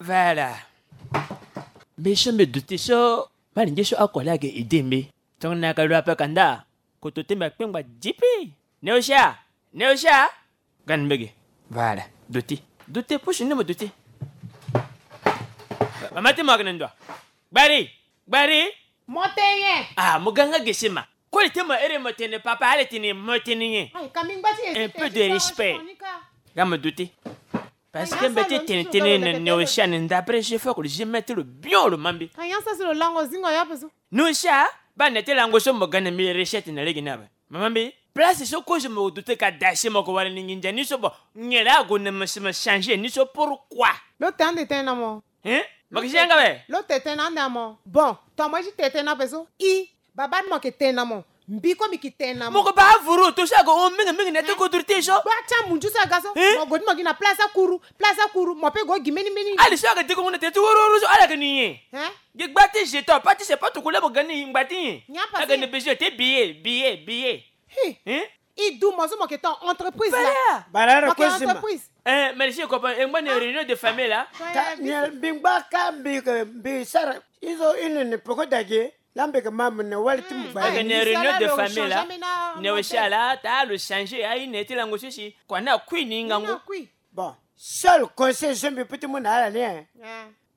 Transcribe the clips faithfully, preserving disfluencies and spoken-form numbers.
Voilà. Mbi so mbi duti so, mali nge so akole ayeke idée mbi. Tongana ayeke lo ape ka nda, koto ti mbi akpengba dipi. Neosha, Neosha. Gani mbege. Voilà. Duti. Duti, pusu ni mo duti. Mama ti mo ayeke na ndo wa. Gbari. Gbari. Mo tene nyen? Ah, mo ga nga gesi ma. Koli ti mo ere mo tene papa, ala tene mo tene nyen? Ayi, ka mbi ngba ti ye. Un peu de respect. Ga mo duti. Parce que mbi ti tene tënë na Neosha ni, d'après je fais que je mets lo bien lo ma mbi. Ka nyen sara si lo lango zingo ya ape so? Neosha, baa na ya ti lango so mo ga na mbi recette na lege ni ape. Mama mbi, place so kozo mo duti ka da si mo ko wara ni nginza ni so bo. Nyen laa ague na mo si mo changer ni so, pourquoi? Lo tene ande tene na mo. Hein? Mo yeke si yanga awe? Lo tene tene ande na mo. Bon, tongana mo ye ti tene tene ape so. I, baba ni mo yeke tene na mo. Mbi kue mbi yeke tene na mo. Mo ko baa avuru, to so ayeke hon mingi mingi na ya ti kodro ti e so. Gba ti amunzu so aga so. Hein? Mo gue ti mo gi na place akuru, place akuru, mo pe gue gi mbeni mbeni. Ali so ayeke diko ngu na tere ti woro woro so, ala yeke ni nyen? Hein? Gi gba ti jeton, pas ti se pas to kula mo ga ni ngba ti nyen? Nyen ape? Ayeke ni besoin ti billet, billet, billet. Hi. Hein? I du mo so mo yeke ton entreprise la. Voilà. Mo yeke entreprise. Eh, merci copain. E ngba na réunion de famille la. Ka, ni mbi ngba ka mbi, mbi sara. I so i ne ni peko dage. Laa mbi yeke ma mo na wali ti mo gbari. Ayeke na réunion de famille la. Neosha la, taa lo changer aye na ya ti lango so si. Kua ni akui ni ngangu. Bon, seul conseil so mbi peut ti mu na ala ni, eh.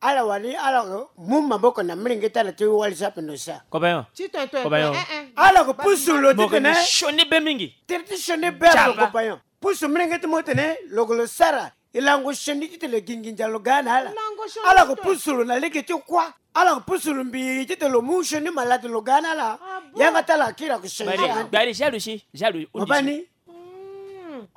Ala wani, ala mu maboko na molenge ti ala ti wali so ape Neosha. Copain. Ti tene tene. Copain. Ala ko pusu lo ti tene. Sioni be mingi. Tere ti sioni be ala, copain. Pusu molenge ti mo tene lo ko lo sara. E lango sioni titene lo gi nginza lo ga na ala. Ala ko pusu lo na lege ti kuâ. Ala ko pusu lo mbi titene lo mu sioni malade lo ga na ala. Yanga ti ala akiri ako sioni. Gbari, gbari, jalousie, jalousie. Mo baa ni.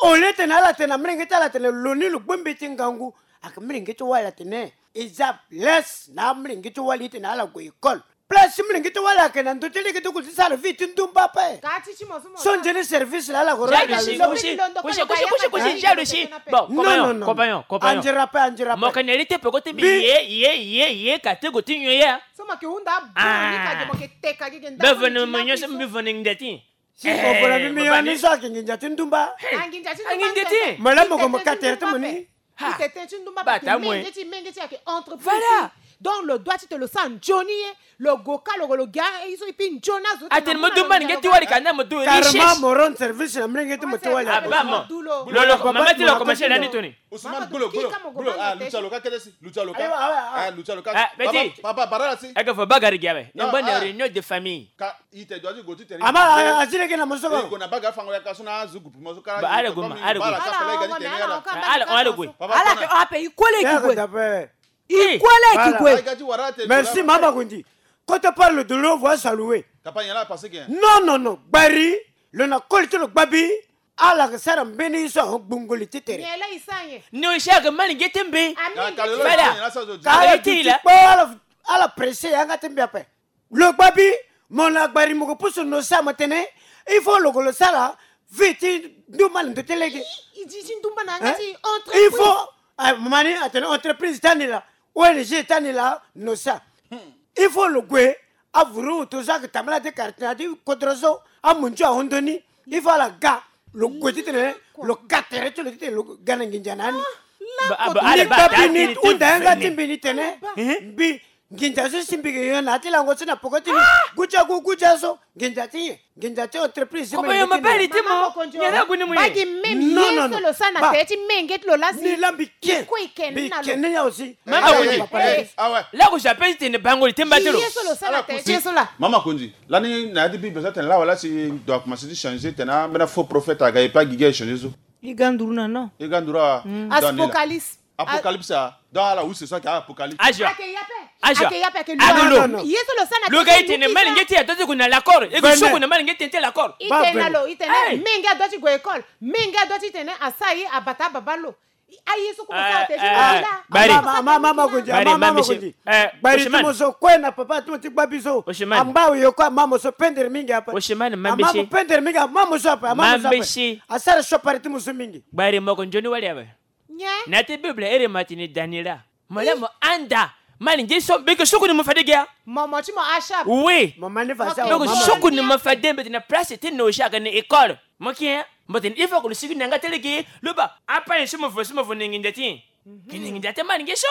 Au lieu titene ala tene na molenge ti ala titene lo ni lo gbu mbeti ngangu. Ayeke molenge ti wali atene e za lese na amolenge ti wali titene ala gue école. Place ti molenge ti wali ayeke na ndö ti lege ti gue ti sara vie ti ndumba ape. So nzoni service laa ala ko rendre na lo. Jalousie, kusi, kusi, kusi, jalousie. Bon, compagnon, compagnon, compagnon. Anzere ape, anzere ape. Mo yeke na li ti peko ti mbi ye, ye, ye, ye, ka ti gue ti nyon ye. So mo yeke hunda abo ni ka ge, mo yeke teka ge ge ndako. Mbi vene mo nyon so, mbi vene nginza ti nyen? Si mo vene mbi, mbi nyon ni so ayeke nginza ti ndumba. Anginza ti ndumba. Mo laa mo gue mo ka tere ti mo ni. Ha. I tene ti ndumba, parce que menge ti, menge ti ayeke entreprise. Voilà. Donc lo doit ti tene lo sara nzoni ye, lo gue ka lo, lo ga ye so, et puis nzoni azo. Atene mo du mani nge ti wali ka na mo du riches. Carrément mo rendre service na menge ti mo ti wali. Ah, ba mo. Lo, lo, mama ti lo commencer lani toni. Ousmane, gulo, gulo, gulo. Ah, Lucha lo ka kede si, Lucha lo ka. Ah, Lucha lo ka. Ah, Betty. Papa, papa, bara la si. Eke fo bagari gi awe. Non, ngba na réunion de famille. Ka, i te doit ti gue ti tere. Ama, ah, azile ke na mo so ko. Gue na baga fango ya ka so na azu groupe mo so ka. Ba, ala gue ma, ala gue. Ala, ala gue. Ala ke ape, i kole ki gue. I kole ki gue. Merci, mama Kundi. Quand on parle de l'eau, voilà ça loué. Non, non, non. Gbari, lo na koli ti lo gbabi. Ala ke sara mbeni so ahon gbungo li ti tere. Ni osi ayeke mani nge ti mbi. Fada. Ka ala duti kpo ala, ala presse yanga ti mbi ape. Lo gbabi, mo na gbari mo ke pusu Neosha mo tene. Il faut lo ke lo sara vie ti ndumba na ndö ti lege. I, i, i, ti ndumba na yanga ti entreprise. Il faut, ah, mani atene entreprise ti ani laa, O N G ti ani laa, Neosha. Il faut lo gue, avuru ute so ayeke tambula ti quartier na ya ti kodro so, amunzu ahon ndoni. Il faut ala ga, lo gue titene lo ka tere ti lo titene lo ga na nginza na ani. Ni gbabi ni hunda yanga ti mbi ni tene, mbi nginza so si mbi ke yo na ya ti lango so na peko ti mbi. Gudia gu, gudia so, nginza ti nyen? Nginza ti entreprise. Kopo yo mabali ti mo. Nyen la gue ni mo ye? Bagi meme ye so lo sara na tere ti menge ti lo la si. Ni la mbi ke. Mbi ke ni ya aussi. Mama Kundi. Laku si ape ti tene bango li ti mba ti lo. Ye so lo sara na tere ti ye so la. Mama Kundi. Lani na ya ti Bible so atene lawa la si ndo akomanse ti changer tene ambeni afaux prophète aga e pe agigi aye changer so. E ga nduru na non. E ga nduru awa. Apocalypse. Apocalypse a. Donc ala use so ayeke apocalypse. Azo. Ayeke ye ape. Azo. Ayeke ye ape, ayeke lu. Ye so lo sara na lo ga e tene malenge ti e adoit ti gue na l'accord. E gue so gue na malenge ti e ti l'accord. I tene na lo, i tene menge adoit ti gue école. Menge adoit ti tene asara ye abata ababa lo. Aye so kue mo sara te ti mo la. Bari. Mama, mama, mama Kundi, mama, mama Kundi. Bari ti mo so kue na papa ti mo ti gbabi so. Angba awe yo kue ama mo so pendere mingi ape. Ama mo pendere mingi, ama mo so ape, ama mo so ape. Asara siopari ti mo so mingi. Bari mo yeke nzoni wali awe. Nyen? Na ya ti Bible ere mo atene Daniela. Mo laa mo handa. Mani nge so, beke soko ni mo fade ge ya. Mo, mo ti mo ashab. Oui. Mo mani fa sa. Beke soko ni mo fade, mbe tene place ti no shaka ni école. Mo ki ya. Mbo tene il faut que lo sigi na yanga ti lege. Lo baa, apa ye so mo vo, so mo vo na nginza ti. Ke na nginza ti mani nge so.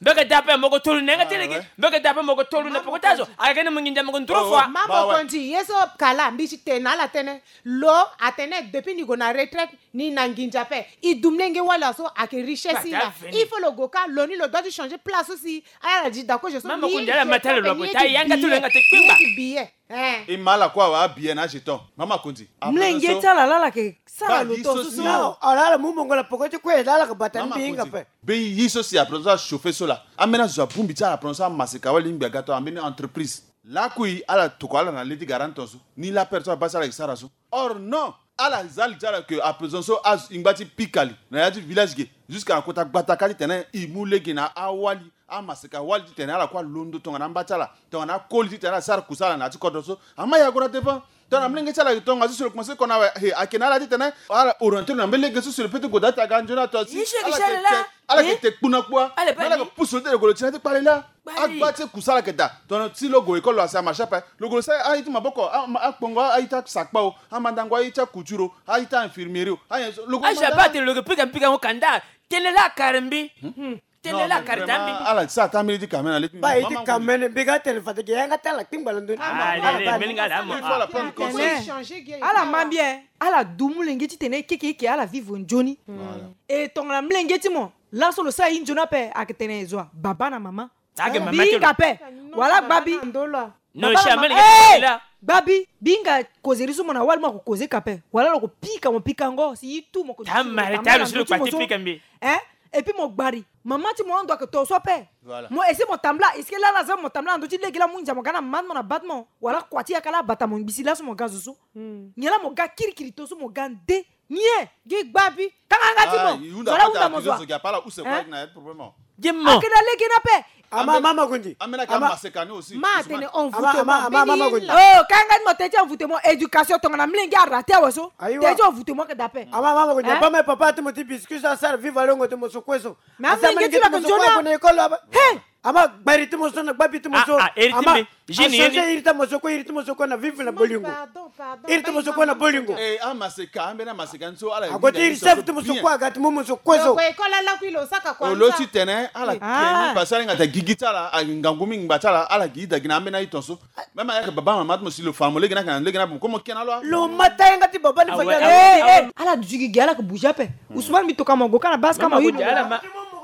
Mbe ke da ape mo ko tolu na yanga ti lege. Mbe ke da ape mo ko tolu na poko ti azo. Ayeke ni mo nginza mo ko nduru fua. Ma mo kondi ye so kala mbi ti tene na ala tënë. Lo atene depuis ni gue na retraite ni na nginza ape. E du mlenge wala so ayeke richesse ni laa. Il faut lo gue kâ lo ni lo doit ti changer place aussi. Ala di d'accord je so. Ma mo kondi ala ma ti ala lo ape ta yanga ti lo yanga ti kpengba. Billet. Eh. E ma ala kue awe abillet na ajeton. Ma mo kondi. Mlenge ti ala laa ala yeke sara lo tongaso so. Non, ala ala mu mongo na poko ti kue laa ala yeke bata ni mbi hinga ape. Be ye so si aprenant so achauffer so laa. Ambeni azo abongbi ti ala aprenant so amaseka wali ngbi aga to ambeni entreprise. Lakui ala tokua ala na le ti garanti tongaso. Ni lapere so abaa si ala yeke sara so. Or non, ala za li ti ala ke aprenant so azo e ngba ti pika li na ya ti village ge. Jusqu'à na kota gbata kâ titene e mu lege na awali. Amaseka wali titene ala kue alondo tongana amba ti ala. Tongana akoli titene ala sara kusala na ya ti kodro so. Ama e ague na devant. Tongana mlenge ti ala ayeke tongaso si lo komanse kona awe, he, ayeke na ala titene ala orienté lo na mbeni lege so si lo peut ti gue daa ti aga nzoni ato si. Ala yeke te kpu na kpua. Ala yeke pusu lo ti leke lo ti na ya ti kpale laa. Agba ti kusala ayeke daa. Tongana si lo gue école lo asi amarché ape. Lo gue lo sara aye ti maboko, akpongo aye ti asakpa o, amandango aye ti acouture o, aye ti ainfirmieri o, aye so lo gue. Aza baa tene lo yeke pika mpikango kanda. Tene laa akare mbi. Tene laa akare daa mbi. Ala ti sara taa mbeni ti kamene na le ti mbi. Baa ye ti kamene mbi ga tene fade ge yanga ti ala kpingba na ndoni. Ala ma mbi e. Ala du molenge titene e keke e yeke ala vivre nzoni. E tongana molenge ti mo laso lo sara ye nzoni ape ayeke tene e zo wa baba na mama. Mbi hinga ape. Wala gbabi. Gbabi, mbi hinga causerie so mo na wali mo ako causer ka ape. Wala lo ko pika mo pikango si ye tout mo ko. Hein? Et puis mo gbari mama ti mo ando ayeke to so ape. Mo essayer mo tambula, est-ce que laa la za mo tambula na ndö ti lege laa mo hinza mo ga na mama ti mo na baba ti mo? Wala kua ti yaka laa abata mo ngbi si laso mo ga zo so. Nyen laa mo ga kirikiri to so mo ga nde? Nyen? Gi gbabi. Kanga yanga ti mo. Zo ala hunda mo zo wa. Gi mo. Ayeke na lege ni ape. Ama mama kundi. Ama atene envoûtement. Ama mama kundi. Oh, kanga yanga ti mo tene ti envoûtement, éducation tongana molenge araté awe so. Tene ti envoûtement ayeke daa ape. Ama mama kundi. Bama papa ti mo ti biscuit so asara viva longo ti mo so kue so. Mais amolenge ti lo ayeke nzoni. He. Ama gbari ti mo so na gbabi ti mo so. Ama a changer iri ti mo so kue, iri ti mo so kue na vivre na bolingo. Iri ti mo so kue na bolingo. Eh, amaseka, ambeni amaseka ni so ala. Ague ti iri chef ti mo so kue aga ti mo mo so kue so. Olo ti tene ala keni parce que ala hinga ata gigi ti ala, ahinga ngu mingi ngba ti ala, ala gi ida gi na ambeni aye tongaso. Même ayeke baba mama ti mo si lo fa mo lege ni ayeke na lege ni ape mo kue mo kena lo. Lo ma ta yanga ti baba ni fa. Ala duti gigi ala yeke bouger ape. Ousmane mbi toka mo ague kâ na base kâ mo.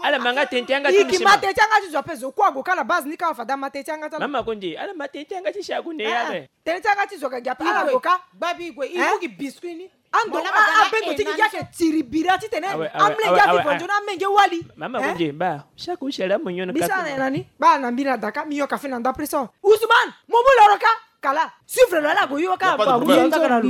Ala ma nga tene ti yanga ti mo. Iki ma tene ti yanga ti zo ape zo kue ague kâ na base ni kâ fade ama tene ti yanga ti ala. Mama kundi ala ma tene ti yanga ti si ague na ya ape. Tene ti yanga ti zo ayeke gi ape ala ague kâ. Gbabi gue i mu gi biscuit ni. Ando abendo ti gi gi ayeke tiribira titene amolenge avivo nzoni amenge wali. Mama kundi ba chaque ushala mo nyono. Mbi sara na ye na ni ba na mbi na daka mbi yoka fini na ndapre so. Ousmane mo mu loro kâ. Kala suivre lo ala gue yo kâ. Ba gue yo kâ na lo.